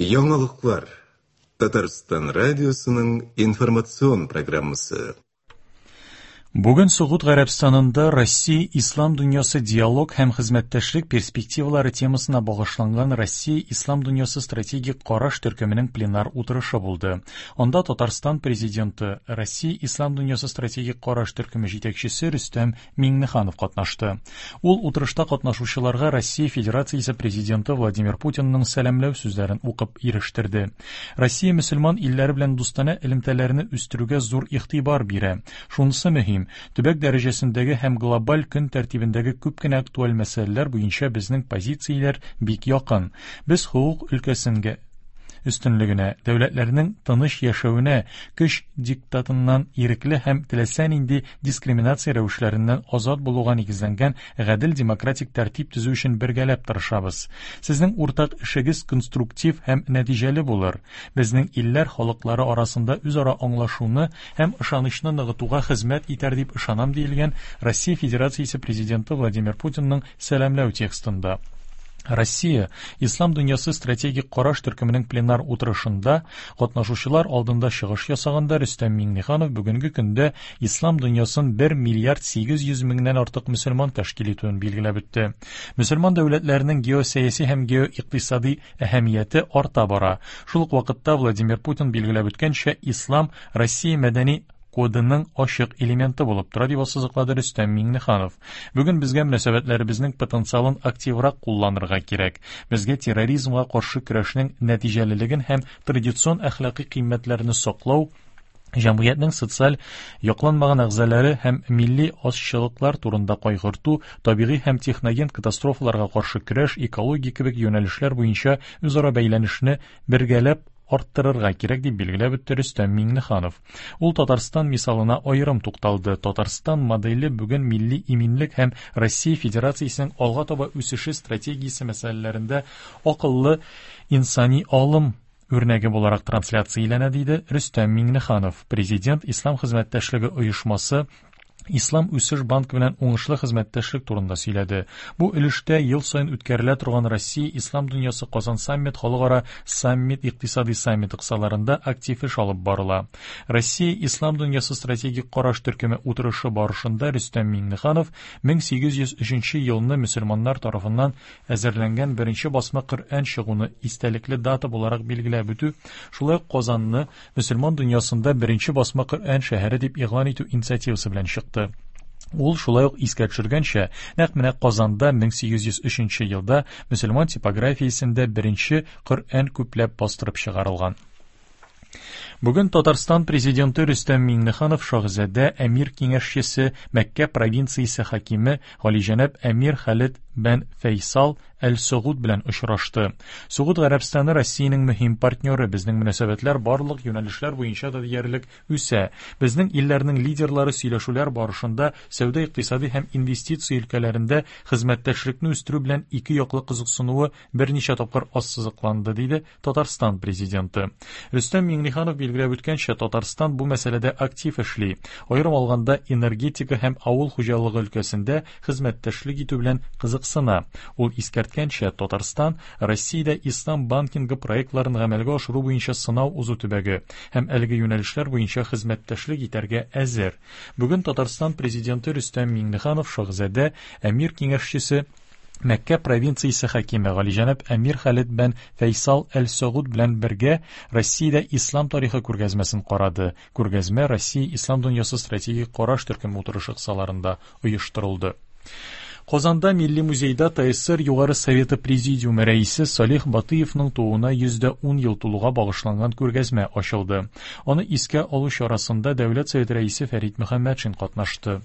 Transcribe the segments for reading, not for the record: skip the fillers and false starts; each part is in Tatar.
Яңалыклар. Татарстан радиосының информацион программасы. Бүген Согуд Гарәбстанында Россия Ислам дөньясы диалог һәм хезмәттәшлек перспективалары темасына багышланган Россия Ислам дөньясы стратегик караш төркеменең пленар утырышы булды. Анда Татарстан президенты, Россия Ислам дөньясы стратегик караш төркеме җитәкчесе Рөстәм Миңнеханов катнашты. Ул утырышта катнашучыларга Россия Федерациясе президенты Владимир Путинның сәламләү сүзләрен укып ирештерде. Россия мөселман илләре белән дустанә элемтәләрне үстерүгә зур игътибар бирә. Шунысы мөһим, төбәк дәрәҗәсендәге һәм глобаль көн тәртибендәге күп кенә актуаль мәсьәләләр буенча безнең позицияләр бик якын. Без хокук өлкәсенгә өстенлегенә, дәүләтләрнең тыныч яшәвенә, көч диктатыннан ирекле һәм теләсә нинди дискриминация рәвешләреннән азат булуга нигезләнгән гадел демократик тәртип төзү өчен бергәләп тырышабыз. Сезнең уртак эшегез конструктив һәм нәтиҗәле булыр. Безнең илләр халыклары арасында үзара аңлашуны һәм ышанычны ныгытуга хезмәт итәр дип ышанам, диелгән Россия Федерациясе Президенты Владимир Путинның сәламләү текстында. Россия Ислам дөньясы стратегик караш төркеменең пленар утырышында катнашучылар алдында чыгыш ясаганда Рөстәм Миңнеханов бүгенге көндә ислам дөньясын 1 миллиард 800 меңнән артык мөселман тәшкил итүен билгеләп үтте. Мөселман дәүләтләренең геосәяси һәм геоикътисади әһәмияте арта бара. Шул ук вакытта Владимир Путин билгеләп үткәнчә, ислам Россия мәдәни кодының ачык элементы булып тора, дип ассызыклады Рөстәм Миңнеханов. Бүген безгә мөнәсәбәтләребезнең потенциалын активрак кулланырга кирәк. Безгә терроризмга каршы көрәшнең нәтиҗәлелеген һәм традицион әхлакый кыйммәтләрне саклау, җәмгыятьнең социаль якланмаган әгъзалары һәм милли азчылыклар турында кайгырту, табигый һәм техноген катастрофаларга каршы көрәш, экология кебек юнәлешләр буенча үзара бәйләнешне бергәләп арттырырга кирәк, дип билгеләп үтте Рөстәм Миңнеханов. Ул Татарстан мисалына аерым тукталды. Татарстан моделе бүген милли иминлек һәм Россия Федерациясенең алга таба үсеше стратегиясе мәсьәләләрендә акыллы инсани алым үрнәге буларак трансляцияләнә, диде Рөстәм Миңнеханов. Президент Ислам хезмәттәшлеге оешмасы Ислам үсеш банкы белән уңышлы хезмәттәшлек турында сөйләде. Бу өлештә ел саен үткәрелә торган Россия Ислам дөньясы Казан саммит халыкара саммит икътисади саммиты кысаларында актив эш алып барыла. Россия Ислам дөньясы стратегик караш төркеме утырышы барышында Рөстәм Миңнеханов 1803 елны мөселманнар тарафыннан әзерләнгән беренче басма Коръән чыгуны истәлекле дата буларак билгеләп үтү, шулай ук Казанны мөселман дөньясында беренче басма Коръән шәһәре дип игълан итү инициативасы белән чыкты. Ул шулай ук искә төшергәнчә, нәкъ менә Казанда 1803 елда мөселман типографиясендә беренче Коръән күпләп бастырып чыгарылган. Бүген Татарстан президенты Рөстәм Миңнеханов шаһзадә әмир киңәшчесе, Мәккә провинциясе хакиме Галиҗәнәп әмир Халид бән Фәйсал Әл-Согуд белән очрашты. Согуд Гарәбстаны Россиянең мөһим партнеры, безнең мөнәсәбәтләр барлык юнәлешләр буенча да диярлек үсә. Безнең илләрнең лидерлары сөйләшүләр барышында сәүдә-икътисади һәм инвестиция өлкәләрендә хезмәттәшлекне үстерү белән ике яклы кызыксынуы берничә тапкыр ассызыкланды, диде Татарстан Президенты. Рөстәм Миңнеханов билгеләп үткәнчә, Татарстан бу мәсьәләдә актив эшли. Аерым алганда, энергетика һәм авыл хуҗалыгы өлкәсендә хезмәттәшлек итү белән кызыксына. Ул искәрткәнчә, Татарстан Россиядә ислам банкингы проектларын гамәлгә ашыру буенча сынау узу төбәге һәм әлеге юнәлешләр буенча хезмәттәшлек итәргә әзер. Бүген Татарстан Президенты Рөстәм Миңнеханов шаһзадә, әмир киңәшчесе, Мәккә провинциясе хакиме Галиҗәнәп әмир Халид бән Фәйсал әл-Согуд белән бергә Россиядә ислам тарихы күргәзмәсен карады. Күргәзмә Россия ислам дөньясы стратегик караш төркеме утырышы кысаларында оештырылды. Казанда Милли музейда ТССР Югары Советы Президиумы рәисе Салих Батыевның тууына 110 ел тулуга багышланган күргәзмә ачылды. Аны искә алу чарасында Дәүләт Советы рәисе Фәрит Мөхәммәтшин катнашты.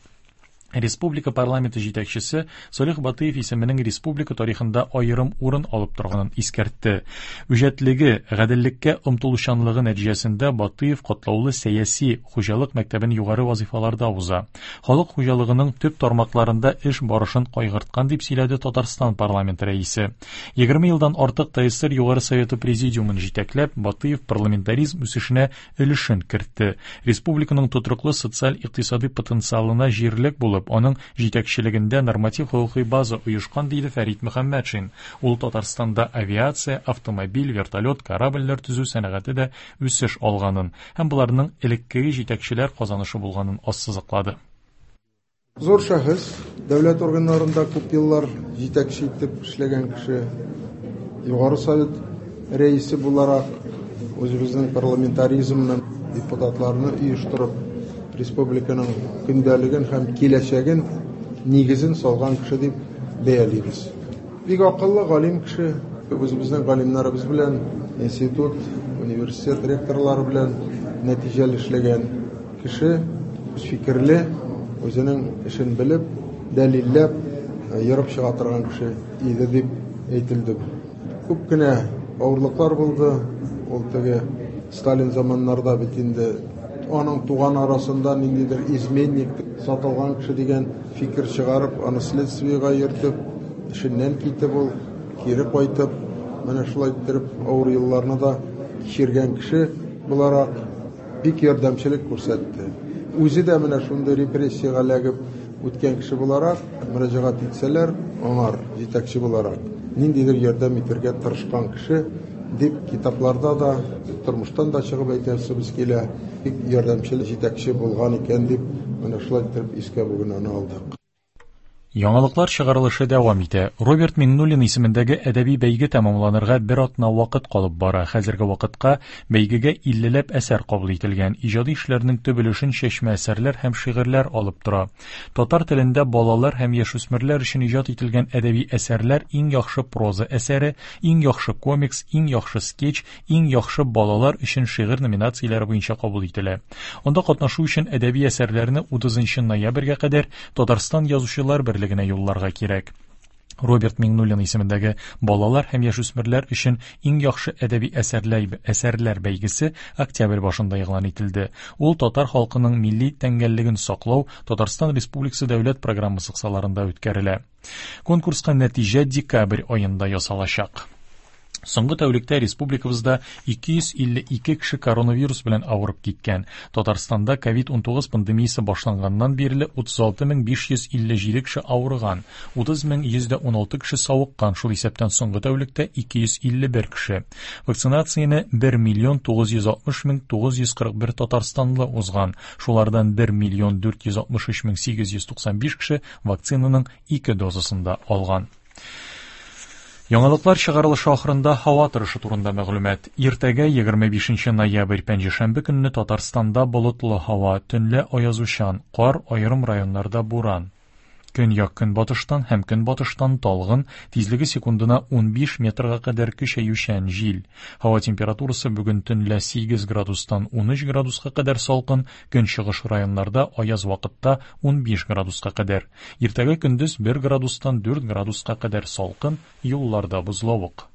Республика парламенты җитәкчесе Салих Батыев исеменең республика тарихында аерым урын алып торганын искәртте. Үҗәтлеге, гаделлеккә омтылучанлыгы нәтиҗәсендә Батыев катлаулы сәяси, хуҗалык мәктәбен югары вазыйфаларда уза. Халык хуҗалыгының төп тармакларында эш барышын кайгырткан, дип сөйләде Татарстан парламенты рәисе. 20 елдан артык ТСР Югары Советы президиумын җитәкләп, Батыев парламентаризм үсешенә өлешен кертте. Республиканың тотрыклы социаль-икътисади потенциалына җирлек булып, булып, аның җитәкчелегендә норматив хокукый база оешкан, диде Фәрит Мөхәммәтшин. Ул Татарстанда авиация, автомобиль, вертолет, корабльләр төзү сәнәгате дә үсеш алганын һәм боларның элеккеге җитәкчеләр казанышы булганын ассызыклады. Зур шәхес, дәүләт органнарында күп еллар җитәкче итеп эшләгән кеше, Югары Совет рәисе буларак үзебезнең парламентаризмны, депутатларны оештырып, республиканың көндәлеген һәм киләчәген нигезен салган кеше дип бәялибез. Бик акыллы, галим кеше, үзебезнең галимнәребез белән, институт, университет ректорлары белән нәтиҗәле эшләгән кеше, фикерле, үзенең эшен белеп, дәлилләп, ерып чыга торган кеше иде дип әйтелде. Күп кенә авырлыклар булды. Ул теге Сталин заманнарда бит инде аның туган арасында ниндидер изменник, сатылган кеше дигән фикер чыгарып, аны следствиегә йөртеп, эшеннән китеп ул, кире кайтып, менә шулай иттереп авыр елларны да кичергән кеше буларак бик ярдәмчелек күрсәтте. Үзе дә менә шундый репрессиягә эләгеп үткән кеше буларак, мөрәҗәгать итсәләр, аңар җитәкче буларак ниндидер ярдәм итәргә тырышкан кеше дип китапларда да, тормыштан да чыгып әйтәсебез килә, бик ярдәмчел җитәкче булган икән дип, менә шулай иттереп искә бүген аны алдык. Яңалыклар чыгарылышы дәвам итә. Роберт Миңнуллин исемендәге әдәби бәйге тәмамланырга бер атна вакыт калып бара. Хәзерге вакытка бәйгегә 50ләп әсәр кабул ителгән. Иҗади эшләрнең төп өлешен чәчмә әсәрләр һәм шигырьләр алып тора. Татар телендә балалар һәм яшүсмерләр өчен иҗат ителгән әдәби әсәрләр иң яхшы проза әсәре, иң яхшы комикс, иң яхшы скетч, иң яхшы балалар өчен шигырь номинацияләре буенча кабул ителә. Анда катнашу өчен әдәби әсәрләрне 30 ноябрьгә кадәр Татарстан Язучылар берлегенә юлларга кирәк. Роберт Миңнуллин исемендәге балалар һәм яшүсмерләр өчен иң яхшы әдәби әсәрләр, әсәрләр бәйгесе октябрь башында игълан ителде. Ул татар халкының милли тәңгәллеген саклау Татарстан Республикасы дәүләт программасы кысаларында үткәрелә. Конкурска нәтиҗә декабрь аенда ясалачак. Соңгы тәүлектә республикабызда 252 кеше коронавирус белән авырып киткән. Татарстанда COVID-19 пандемиясе башланганнан бирле 36557 кеше авырган, 30116 кеше савыккан, шул исәптән соңгы тәүлектә 251 кеше. Вакцинацияне 1 миллион 960 мең 941 татарстанлы узган, шулардан 1 миллион 463 мең 895 кеше вакцинаның ике дозасын да алган. Яңалыклар чыгарылышы ахырында һава торышы турында мәгълүмат. Иртәгә 25 ноябрь пәнҗешәмбе көнне Татарстанда болытлы һава, төнлә аязучан, кар, аерым районнарда буран. Көньяк көнбатыштан һәм көнбатыштан талгын, тизлеге секундына 15 метрга кадәр көчәючән җил. Һава температурасы бүген төнлә 8 градустан 13 градуска кадәр салкын, көнчыгыш районнарда аяз вакытта 15 градуска кадәр. Иртәгә көндез 1 градустан 4 градуска кадәр салкын, юлларда бозлавык.